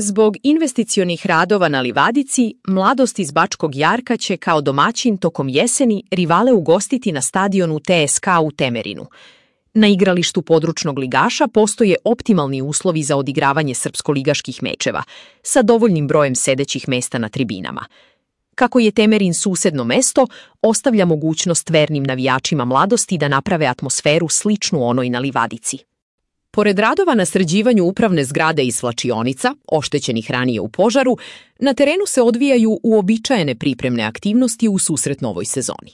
Zbog investicionih radova na livadici, Mladost iz Bačkog Jarka će kao domaćin tokom jeseni rivale ugostiti na stadionu TSK u Temerinu. Na igralištu područnog ligaša postoje optimalni uslovi za odigravanje srpsko-ligaških mečeva, sa dovoljnim brojem sedećih mesta na tribinama. Kako je Temerin susedno mesto, ostavlja mogućnost vernim navijačima Mladosti da naprave atmosferu sličnu onoj na livadici. Pored radova na sređivanju upravne zgrade i svlačionica, oštećenih ranije u požaru, na terenu se odvijaju uobičajene pripremne aktivnosti u susret novoj sezoni.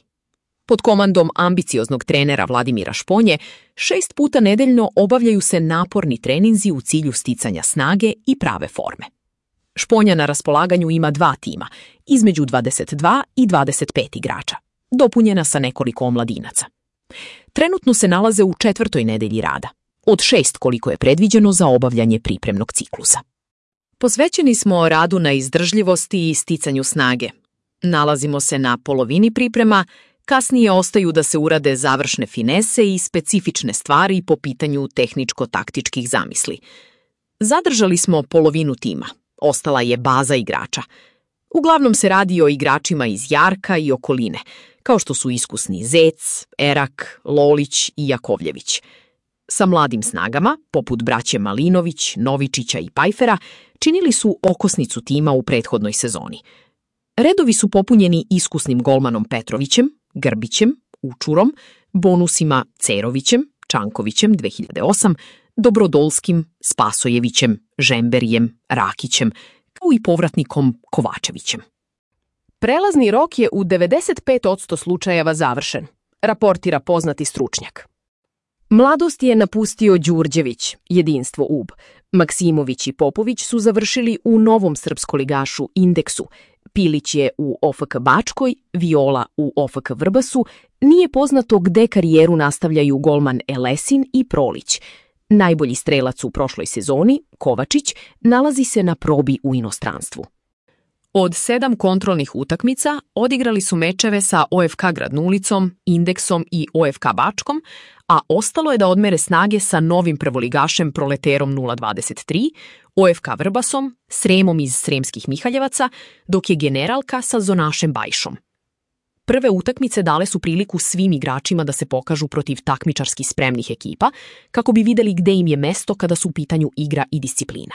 Pod komandom ambicioznog trenera Vladimira Šponje, 6 puta nedeljno obavljaju se naporni treninzi u cilju sticanja snage i prave forme. Šponja na raspolaganju ima 2 tima, između 22 i 25 igrača, dopunjena sa nekoliko omladinaca. Trenutno se nalaze u 4. nedelji rada, od 6 koliko je predviđeno za obavljanje pripremnog ciklusa. Posvećeni smo radu na izdržljivosti i sticanju snage. Nalazimo se na polovini priprema, kasnije ostaju da se urade završne finese i specifične stvari po pitanju tehničko-taktičkih zamisli. Zadržali smo polovinu tima, ostala je baza igrača. Uglavnom se radi o igračima iz Jarka i okoline, kao što su iskusni Zec, Erak, Lolić i Jakovljević. Sa mladim snagama, poput braće Malinović, Novičića i Pajfera, činili su okosnicu tima u prethodnoj sezoni. Redovi su popunjeni iskusnim golmanom Petrovićem, Grbićem, Učurom, bonusima Cerovićem, Čankovićem 2008, Dobrodolskim, Spasojevićem, Žemberijem, Rakićem, kao i povratnikom Kovačevićem. Prelazni rok je u 95% slučajeva završen, raportira poznati stručnjak. Mladost je napustio Đurđević, Jedinstvo UB. Maksimović i Popović su završili u novom srpskoligašu Indeksu. Pilić je u OFK Bačkoj, Viola u OFK Vrbasu. Nije poznato gde karijeru nastavljaju golman Elesin i Prolić. Najbolji strelac u prošloj sezoni, Kovačić, nalazi se na probi u inostranstvu. Od 7 kontrolnih utakmica odigrali su mečeve sa OFK Gradnulicom, Indeksom i OFK Bačkom, a ostalo je da odmere snage sa novim prvoligašem Proleterom 023, OFK Vrbasom, Sremom iz Sremskih Mihaljevaca, dok je Generalka sa Zonašem Bajšom. Prve utakmice dale su priliku svim igračima da se pokažu protiv takmičarski spremnih ekipa, kako bi videli gde im je mesto kada su u pitanju igra i disciplina.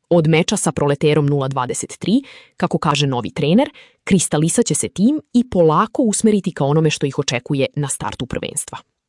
Od meča sa Proleterom 023, kako kaže novi trener, kristalisat će se tim i polako usmeriti ka onome što ih očekuje na startu prvenstva.